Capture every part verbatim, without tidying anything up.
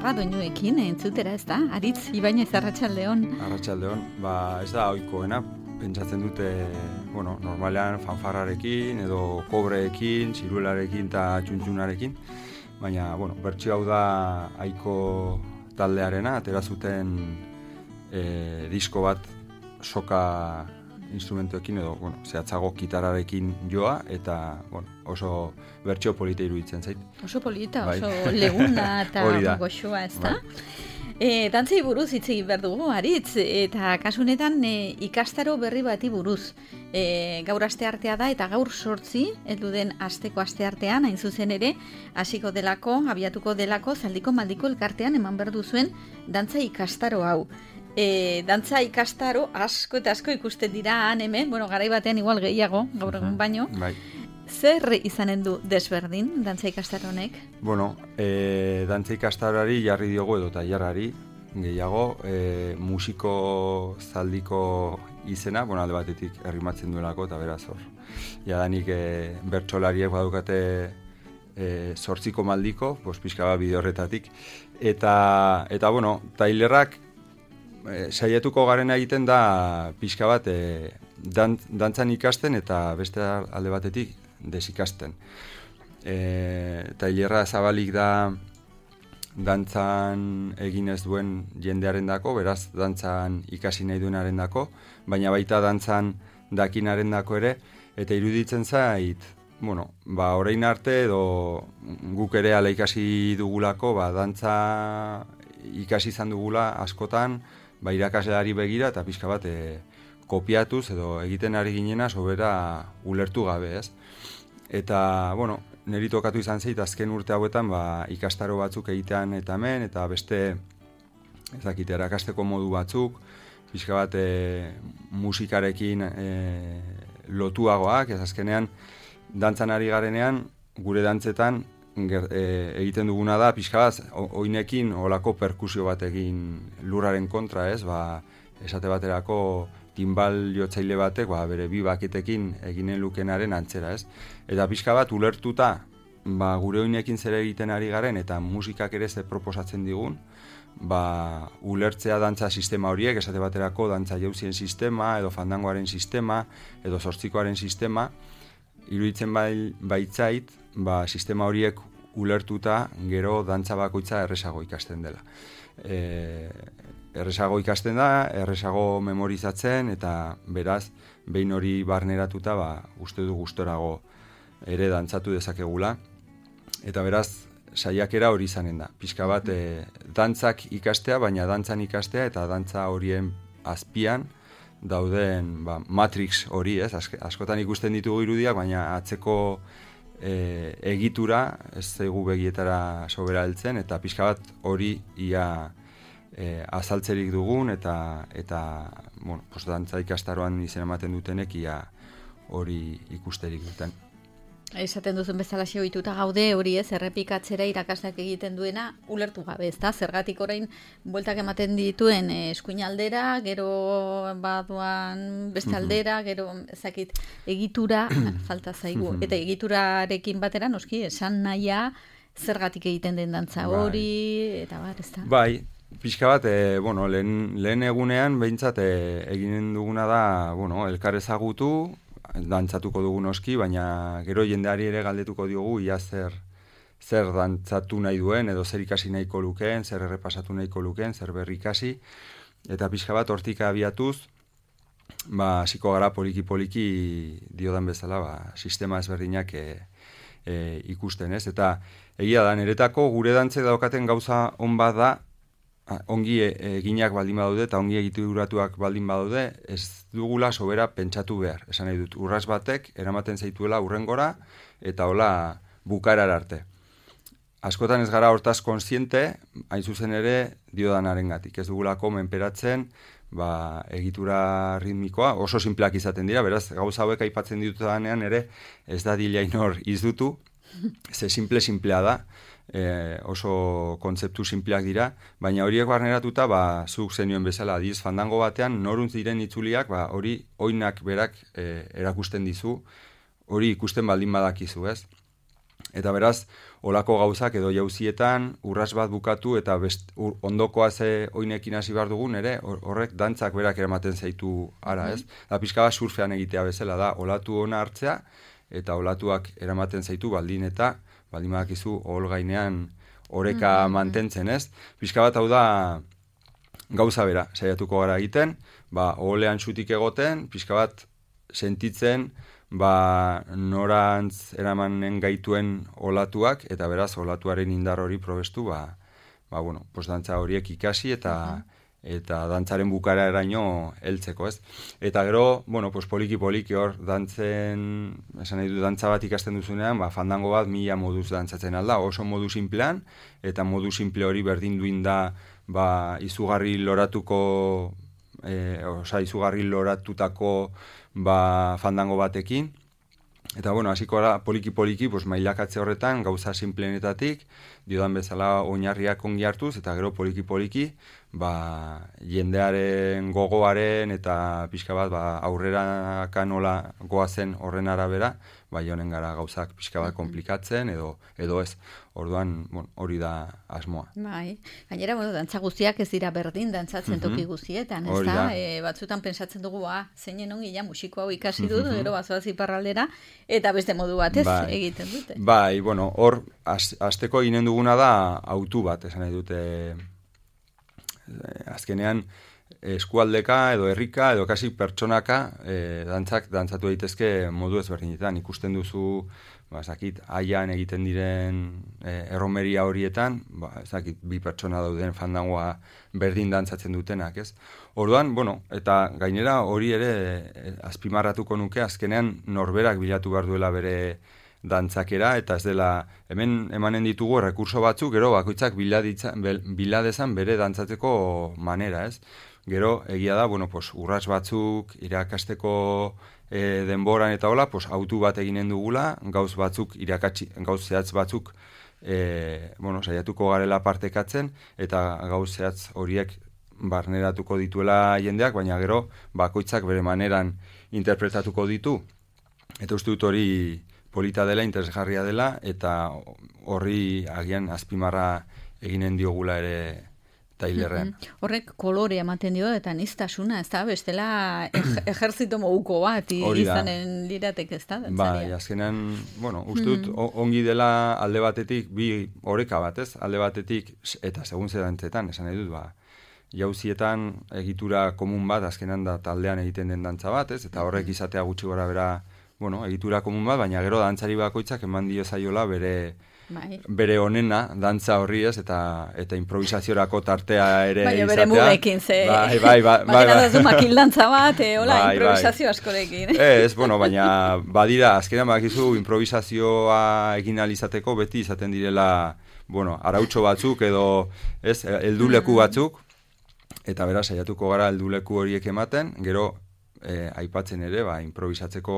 Arteaga doinuekin entzutera, ez da? Aritz, Ibañez, arratsaldeon. Arratsaldeon, ba ez da ohikoena, pentsatzen dute, bueno, normalean fanfarrarekin edo kobreekin, ziruelarekin eta txuntxunarekin, baina, bueno, bertsio hau da Aiko taldearena, atera zuten e, disko bat soka instrumentuekin edo, bueno, zehatzago kitararekin joa, eta, bueno, oso bertsio polita iruditzen zait. Oso polita, bai. Oso leguna eta goxoa, ez da? Bai. E, dantzei buruz hitz egin behar dugu, Aritz, eta kasunetan e, ikastaro berri bati buruz. E, gaur asteartea da, eta gaur sortzi, heldu den asteko asteartean, hain zuzen ere, hasiko delako, abiatuko delako, Zaldiko Maldiko elkartean eman behar duzuen dantza ikastaro hau. E, dantza ikastaro asko eta asko ikusten dira han hemen, bueno, garai batean igual gehiago, gaur egun baino. Bai. Zer izanen du desberdin dantza ikastaro honek? Bueno, e, dantza ikastaroari jarri diogu edo tailerrari gehiago, e, musiko zaldiko izena, bueno, alde batetik errimatzen duelako eta beraz hor. Jadanik e, bertsolariek badukate e, zortziko maldiko, pues pixka bat bide horretatik. Eta, eta bueno, tailerrak E, saiatuko garena egiten da pixka bat e, dan, dantzan ikasten eta beste alde batetik desikasten. E, tailerra zabalik da dantzan egin ez duen jendearen dako, beraz dantzan ikasi nahi duenaren dako, baina baita dantzan dakinaren dako ere, eta iruditzen zait, bueno, ba, orain arte edo guk ere ala ikasi dugulako, ba, dantza ikasi izan dugula askotan, ba, irakasleari begira eta pixka bat e, kopiatuz edo egiten ari ginena sobera ulertu gabe, ez? Eta, bueno, niri tokatu izan zait azken urte hauetan ba, ikastaro batzuk egitean eta hemen, eta beste, ez dakit, erakasteko modu batzuk, pixka bat e, musikarekin e, lotuagoak, ez azkenean, dantzan ari garenean, gure dantzetan, Ger, e, egiten duguna da, pixka bat, oinekin olako perkusio bat egin lurraren kontra, ez, ba, esate baterako timbal jotzaile batek, ba, bere bi bakitekin eginen lukenaren antzera, ez. Eta pixka bat, ulertuta, ba, gure oinekin zer egiten ari garen, eta musikak ere ze proposatzen digun, ba, ulertzea dantza sistema horiek, esate baterako dantza jauzien sistema, edo fandangoaren sistema, edo zortzikoaren sistema, iruditzen bai, baitzait, ba, sistema horiek ulertuta gero dantza bakoitza erresago ikasten dela. E, erresago ikasten da, erresago memorizatzen, eta beraz, behin hori barneratuta, ba, uste du gustorago ere dantzatu dezakegula. Eta beraz, saiakera hori izanen da. Pixka bat, e, dantzak ikastea, baina dantzan ikastea, eta dantza horien azpian, dauden ba, Matrix hori, ez? Askotan ikusten ditugu irudiak, baina atzeko e, egitura ez zaigu begietara sobera heltzen, eta pixka bat hori ia e, azaltzerik dugun, eta, eta bueno, pues, dantza ikastaroan izen ematen dutenek ia hori ikusterik duten. Esaten duzun bezala ohituta gaude hori, ez, errepikatzera irakasleak egiten duena ulertu gabe, ez da? Zergatik orain bueltak ematen dituen eskuinaldera, gero baduan beste aldera, gero ezakit egitura falta zaigu. Eta egiturarekin batera noski esan nahia zergatik egiten den dantza hori, eta bar, ez da? Bai, pixka bat, e, bueno, lehen, lehen egunean behintzat e, eginen duguna da, bueno, elkar ezagutu, dantzatuko dugu noski, baina gero jendeari ere galdetuko diogu ia zer, zer dantzatu nahi duen, edo zer ikasi nahiko lukeen, zer errepasatu nahiko lukeen, zer berri ikasi, eta pixka bat hortik abiatuz, ba, hasiko gara poliki-poliki diodan bezala, ba, sistema ezberdinak e, e, ikusten, ez? Eta egia da, niretako gure dantzek daukaten gauza on bat da, ongi eginak baldin badaude eta ongi egituratuak baldin badaude, ez dugula sobera pentsatu behar. Esan nahi dut, urras batek eramaten zaituela urrengora eta hola bukaerar arte. Askotan ez gara hortaz kontziente, hain zuzen ere diodanarengatik. Ez dugulako menperatzen, ba, egitura ritmikoa, oso sinpleak izaten dira, beraz, gauza hauek aipatzen ditudanean ere, ez da dilainor izdutu, ze simple-simplea da, e, oso kontzeptu sinpleak dira, baina horiek barneratuta, ba, zuk zenioen bezala, adiz, fandango batean, noruntz diren itzuliak, ba, hori oinak berak e, erakusten dizu, hori ikusten baldin badakizu, ez? Eta beraz, olako gauzak edo jauzietan, urras bat bukatu eta best, ur, ondokoa ze oinekin hasi behar dugun, ere, horrek dantzak berak eramaten zaitu ara, ez? Da pixka bat surfean egitea bezala da, olatu ona hartzea, eta olatuak eramaten zaitu baldin eta, baldin badakizu, ohol gainean oreka mm-hmm. mantentzen, ez? Pixka bat hau da gauza bera, saiatuko gara egiten, ba, oholean xutik egoten, pixka bat sentitzen, ba, norantz eramanen gaituen olatuak, eta beraz, olatuaren indar hori probestu, ba, ba bueno, pues dantza horiek ikasi, eta uh-huh. eta dantzaren bukara eraino heltzeko, ez? Eta gero, bueno, pues poliki-poliki hor, dantzen, esan nahi du, dantza bat ikasten duzunean, ba, fandango bat mila moduz dantzatzen alda, oso modu simplean, eta modu simple hori berdin duin da, ba, izugarri loratuko, e, oza, izugarri loratutako, ba, fandango batekin, eta bueno, hasiko gara poliki-poliki, pues, mailakatze horretan, gauza simplenetatik, diodan bezala oinarriak ongi hartuz, eta gero poliki-poliki, ba, jendearen gogoaren, eta pixka bat, ba, aurrera kanola goazen horren arabera, ba, jonen gara gauzak pixka bat komplikatzen, edo, edo ez, orduan, bueno, hori da asmoa. Bai, gainera, bueno, dantza guztiak ez dira berdin, dantzatzen toki guztietan, ez da? E, batzutan pentsatzen dugu, ah, zeinen ongi ja musiko hau ikasi dut, gero bazoaz iparraldera, eta beste modu batez bai. egiten dute. Bai, bueno, hor, hasteko ginen duguna da, autu bat, esan nahi dute, azkenean, eskualdeka edo herrika edo kasi pertsonaka e, dantzak dantzatu daitezke modu ezberdinetan. Ikusten duzu, ba, zakit, aian egiten diren e, erromeria horietan, ba, zakit, bi pertsona dauden fandangoa berdin dantzatzen dutenak, ez? Orduan, bueno, eta gainera hori ere e, azpimarratuko nuke, azkenean norberak bilatu behar duela bere dantzakera, eta ez dela, hemen emanen ditugu rekurso batzuk, gero bakoitzak biladezan bere dantzatzeko manera, ez? Gero, egia da, bueno, pues, urrats batzuk, irakasteko e, denboran eta hola, pues, autu bat eginen dugula, gauz batzuk, irakatsi, gauz zehatz batzuk, e, bueno, saiatuko garela partekatzen, eta gauz zehatz horiek barneratuko dituela jendeak, baina gero, bakoitzak bere maneran interpretatuko ditu, eta uste dut hori polita dela, interesgarria dela, eta horri agian azpimarra eginen diogula ere tailerrean. Mm-hmm. Horrek kolore ematen dio eta niztasuna, ez da, bestela ejerzito moguko bat izanen liratek, ez da? Bai, azkenean, bueno, uste dut mm-hmm. ongi dela alde batetik, bi oreka bat, ez? Alde batetik, eta segun zedantzetan, esan nahi dut, ba, jauzietan egitura komun bat, azkenan da taldean egiten den dantza bat, ez? Eta horrek izatea gutxi gora bera, bueno, egitura komun bat, baina gero dantzari bakoitzak eman dio zaiola bere Bai. bere onena, dantza horri ez, eta eta improvisaziorako tartea ere bai, izatea. Bere mugekin, ze. Bai, bai, bai. Bakena bai, bai. Duzu makildantza bat, e, hola, bai, improvisazio bai. askorekin. Ez, bueno, baina badira, azkenean badakizu improvisazioa egin alizateko beti izaten direla, bueno, arautxo batzuk edo, ez, helduleku batzuk, eta beraz, saiatuko gara helduleku horiek ematen, gero, E, aipatzen ere, ba, improvisatzeko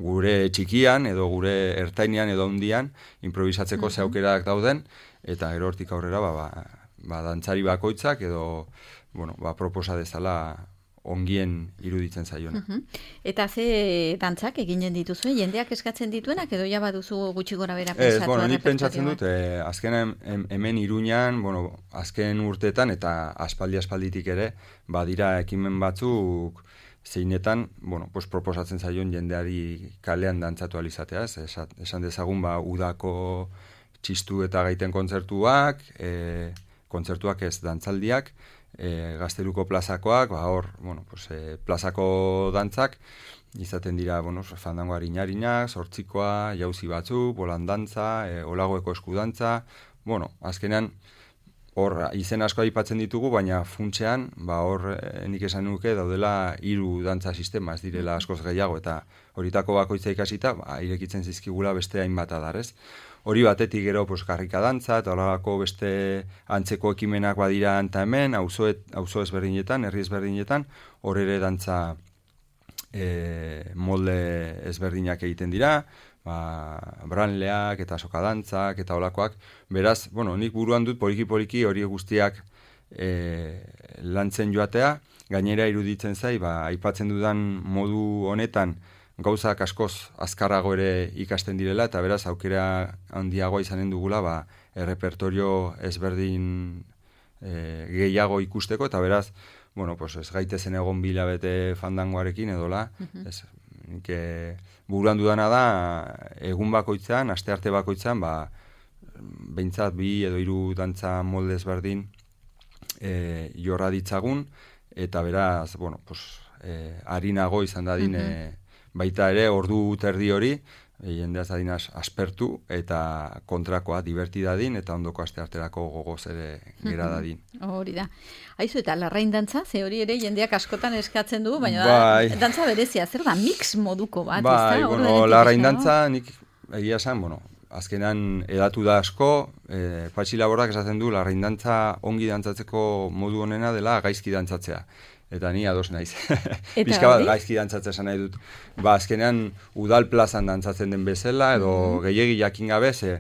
gure txikian, edo gure ertainean, edo hundian, improvisatzeko mm-hmm. zeukerak dauden, eta gero hortik aurrera, ba, ba, ba, dantzari bakoitzak, edo, bueno, ba, proposa dezala ongien iruditzen zaiona. Mm-hmm. Eta ze dantzak eginen dituzu, jendeak eskatzen dituenak, edo ja baduzu gutxi gora bera pentsatu? Ez, bueno, nik pentsatzen dut, eh, azken hemen Iruñan, bueno, azken urteetan, eta aspaldi-aspalditik ere, badira ekimen batzuk, zeinetan, bueno, pues proposatzen zaion jendeari kalean dantzatu alizatea, ez? Esan dezagun, ba, udako txistu eta gaiten kontzertuak, e, kontzertuak ez dantzaldiak, e, Gazteluko plazakoak, ba, hor, bueno, pues, e, plazako dantzak, izaten dira, bueno, fandango harina-harinak, sortzikoa, jauzi batzuk, bolan dantza, e, olagoeko eskudantza, bueno, azkenean, hor, izen asko aipatzen ditugu, baina funtsean, ba, hor, eh, nik esan nuke, daudela hiru dantza sistema, ez direla askoz gehiago, eta horitako bakoitza ikasita, ba, irekitzen zizkigula beste hainbat adarrez. Hori batetik gero, pues, karrika dantza, eta horako beste antzeko ekimenak badira anta hemen, auzo ezberdinetan, herri ezberdinetan, hor ere dantza e, molde ezberdinak egiten dira, ba, branleak eta sokadantzak eta olakoak. Beraz, bueno, nik buruan dut poliki-poliki hori guztiak e, lantzen joatea, gainera iruditzen zai, ba, aipatzen dudan modu honetan, gauzak askoz azkarrago ere ikasten direla, eta beraz aukera handiagoa izanen dugula, ba, errepertorio ezberdin e, gehiago ikusteko, eta beraz, bueno, pues ez gaitezen egon bilabete fandangoarekin edola, uh-huh. ez, que buruan dudana da, egun bakoitzan, astearte bakoitzan, ba, behintzat bi edo hiru dantza molde ezberdin e, jorra ditzagun, eta beraz, bueno, pues, e, harinago izan dadin, uh-huh. e, baita ere, ordu terdi hori, e, jendeaz dadin aspertu, eta kontrakoa divertidadin, eta ondoko astearterako gogoz ere gera dadin. Hori da. Aizu, eta larrain dantza, ze hori ere jendeak askotan eskatzen du, baina bai. da, dantza berezia, zer da, mix moduko bat, bai, ez da? Bueno, larrain dantza, nik egia esan, bueno, azkenan edatu da asko, e, Patxi Laborrak esaten du, larrain dantza ongi dantzatzeko modu honena dela gaizki dantzatzea. Eta ni ados naiz. Bizka bat gaizki dantzatzea esan nahi dut. Ba, azkenean udal plazan dantzatzen den bezala, edo mm-hmm. gehiegi jakin gabe, ze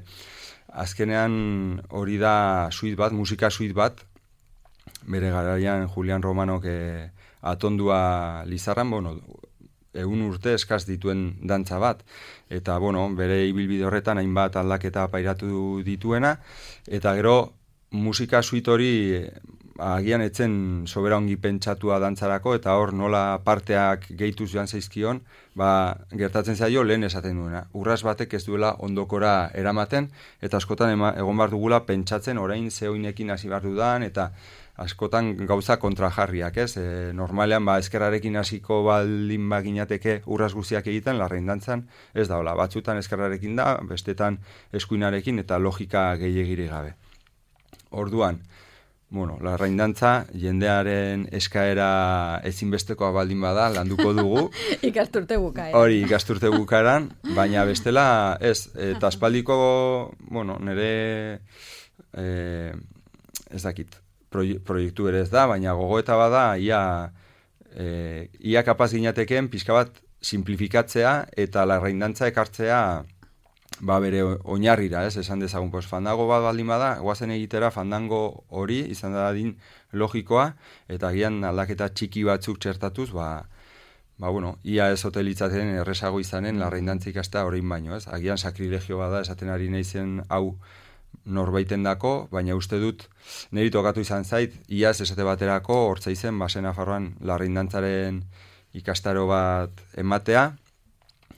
azkenean hori da suite bat, musika suite bat, bere garaian Julian Romanok e, atondua Lizarran, bueno, egun urte eskaz dituen dantza bat, eta bueno, bere ibilbide horretan hainbat aldaketa pairatu dituena, eta gero musika suite hori agian etzen sobera ongi pentsatua dantzarako, eta hor nola parteak gehituz joan zaizkion, ba, gertatzen zaio lehen esaten duena. Urras batek ez duela ondokora eramaten, eta askotan ema, egon behar dugula pentsatzen orain zehoinekin hasi behar dudan, eta askotan gauza kontrajarriak, ez? E, normalean, ba, eskerrarekin hasiko baldin baginateke urras guztiak egiten, larrain dantzan, ez da, hola, batzutan eskerrarekin da, bestetan eskuinarekin, eta logika gehiagiri gabe. Orduan, bueno, larrain dantza, jendearen eskaera ezinbestekoa baldin bada, landuko dugu. Ikasturte bukaeran. Hori, ikasturte bukaeran, baina bestela, ez, eta aspaldiko, bueno, nire, eh, ez dakit, proiektu ere ez da, baina gogoeta bada, ia, e, ia kapaz ginateken pixka bat simplifikatzea eta larrain dantza ekartzea ba bere oinarrira, ez, esan dezagun, pues, fandango bat baldin bada, guazen egitera fandango hori izan dadin logikoa, eta gian aldaketa txiki batzuk txertatuz, ba, ba bueno, ia ez hotelitzaten erresago izanen larrain dantza ikastea orain baino, ez, agian sakrilegio bada esaten ari naizen hau norbaiten dako, baina uste dut niri tokatu izan zait, iaz esate baterako hortza izen, basen Nafarroan larrain dantzaren ikastaro bat ematea,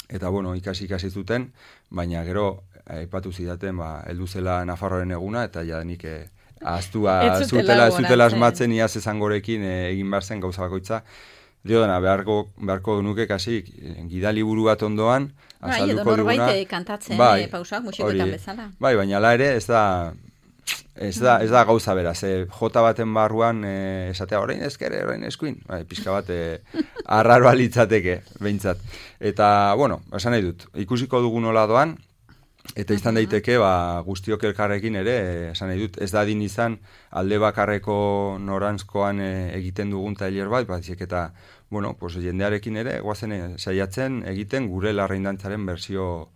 eta bueno, ikasi ikasi zuten, baina gero aipatu zidaten, ba, heldu zela Nafarroaren eguna, eta jadenik eh, ahaztua zutela, zutela asmatzen iaz esangorekin eh, egin behar zen gauza bakoitza. Dio dena, beharko, beharko nuke kasi gidaliburu bat ondoan, azalduko duguna. Bai, edo norbait kantatzen bai, e, pausak, musikoetan bezala. Bai, baina la ere ez da, ez da, ez da gauza bera, ze jota baten barruan e, esatea orain ezkere, orain eskuin, bai, pixka bat e, arraroa litzateke, behintzat. Eta, bueno, esan nahi dut, ikusiko dugu nola doan, eta izan daiteke, ba, guztiok elkarrekin ere, esan nahi dut, ez da din izan alde bakarreko norantzkoan e, egiten dugun tailer bat, batzik eta, bueno, pues, jendearekin ere, guazen e, saiatzen egiten gure larrain dantzaren berzio,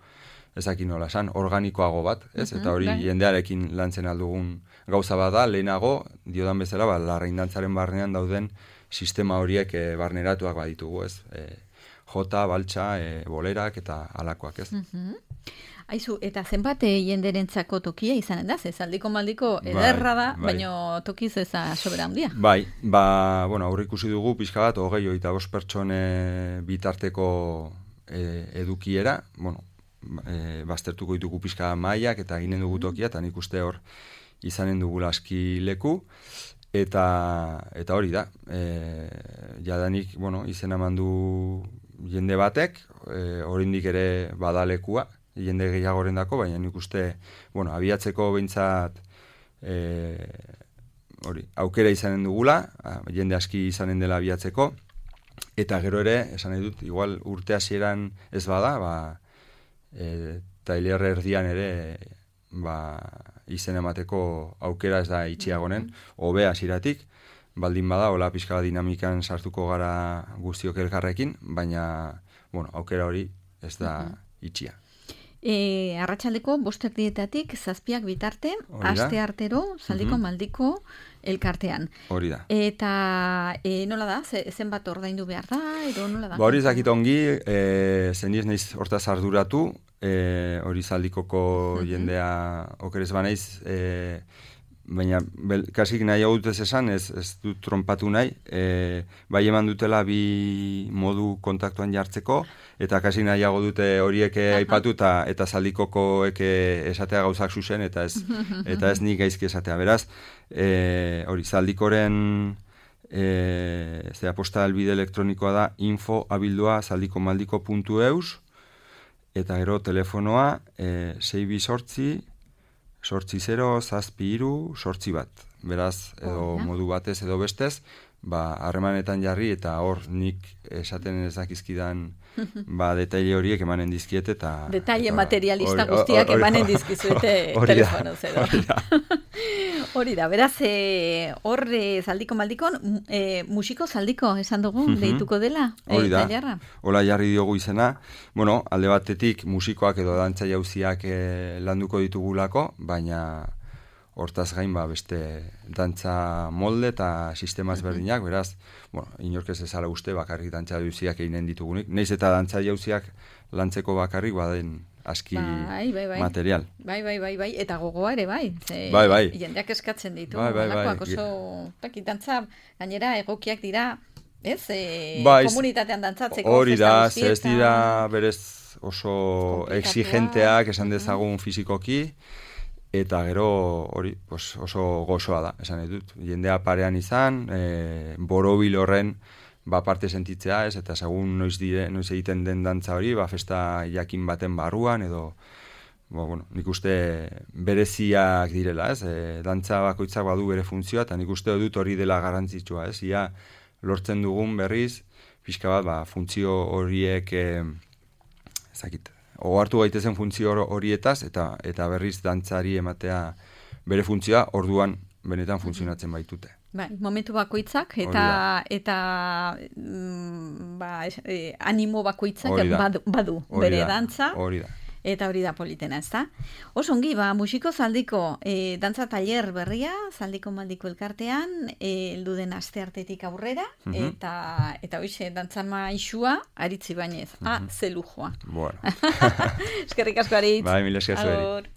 ezakin nola esan, organikoago bat, ez? Uh-huh, eta hori bai. Jendearekin lantzen aldugun gauza bada, lehenago, diodan bezala, ba, larrain dantzaren barnean dauden sistema horiek e, barneratuak baditugu, ez? E, jota, baltsa, e, bolerak eta alakoak, ez? Uh-huh. Aizu, eta zenbat jenderentzako tokia izanen da, ez aldiko maldiko ederra da, bai, bai. Baina tokiz ez da sobera handia. Bai, ba, bueno, aurre ikusi dugu pixka bat, hogei eta bost pertsone bitarteko e, edukiera, bueno, e, baztertuko ditugu pixka mailak eta ginen dugu tokia, eta nik uste hor izanen dugula aski leku, eta, eta hori da, e, jadanik, bueno, izena mandu jende batek, e, oraindik ere badalekua, jende gehiagoren dako, baina nik uste, bueno, abiatzeko behintzat e, hori, aukera izanen dugula, jende aski izanen dela abiatzeko, eta gero ere, esan nahi dut, igual urte hasieran ez bada, ba, e, tailer erdian ere, ba, izen emateko aukera ez da itxiagonen, hobe hasieratik, baldin bada, hola pixka dinamikan sartuko gara guztiok elkarrekin, baina, bueno, aukera hori ez da itxia. E, arratsaldeko bost erdietatik zazpiak bitarte, aste artero, zaldiko mm-hmm. maldiko elkartean. Hori da. Eta e, nola da, zenbat ordaindu behar da, edo nola da? Ba, hori zakit ongi, e, zeniz naiz hortaz arduratu, e, hori zaldikoko mm-hmm. jendea okerez banaiz, e, baina bel, kasik nahi hau dutez esan, ez, ez dut trompatu nahi, e, bai eman dutela bi modu kontaktuan jartzeko, eta kasik nahiago dute horiek aipatu eta, eta zaldikokoek esatea gauzak zuzen, eta ez, eta ez nik gaizki esatea. Beraz, e, hori zaldikoren e, zera posta albide elektronikoa da info abildua zaldikomaldiko puntu eus, eta gero telefonoa e, sei bi sortzi, sortzi zero, zazpi iru, sortzi bat. Beraz, edo oh, modu batez edo bestez, ba, harremanetan jarri eta hor nik esaten ez dakizkidan ba, detaile horiek emanen dizkiet eta... Detaile eta, materialista or, guztiak or, or, emanen dizkizuete telefonoz edo. Hori da, beraz, e, hor e, zaldiko maldikon, e, musiko zaldiko esan dugu, mm-hmm. deituko dela. Hori da, e, hola jarri diogu izena. Bueno, alde batetik musikoak edo dantza jauziak e, landuko ditugulako, baina hortaz gain ba, beste dantza molde eta sistema ezberdinak, beraz, bueno, inork ez ezala uste bakarrik dantza jauziak eginen ditugunik. Neiz eta dantza jauziak lantzeko bakarrik baden aski bai, bai, bai. material. Bai, bai, bai, bai, eta gogoa ere bai. Ze, bai, bai. Jendeak eskatzen ditu. Bai, bai, bai. Oso, taki, dantza, gainera, egokiak dira, ez, e, bai, komunitatean dantzatzeko. Hori da, ez dira berez oso exigenteak, esan dezagun fizikoki, eta gero hori pues, oso gozoa da, esan dut. Jendea parean izan, e, borobil horren, ba parte sentitzea, ez, eta segun noiz dire, noiz egiten den dantza hori, ba festa jakin baten barruan edo ba, bueno, nik uste bereziak direla, ez? E, dantza bakoitzak badu bere funtzioa eta nik uste dut hori dela garrantzitsua, ez? Ia lortzen dugun berriz pixka bat, ba, funtzio horiek eh, ezakit, ohartu gaitezen funtzio horietaz eta eta berriz dantzari ematea bere funtzioa, orduan benetan funtzionatzen baitute. Bai, momentu bakoitzak eta eta mm, ba, eh, animo bakoitzak badu, badu bere dantza. Hori da. Eta hori da politena, ezta? Oso ongi, ba, musiko zaldiko e, dantza taller berria, zaldiko maldiko elkartean, heldu den asteartetik aurrera, mm-hmm. eta eta hoize dantza maixua aritzi bainez. Mm-hmm. Ah, ze lujoa. Bueno. Eskerrik asko Aritz. Bai, mila esker zueri.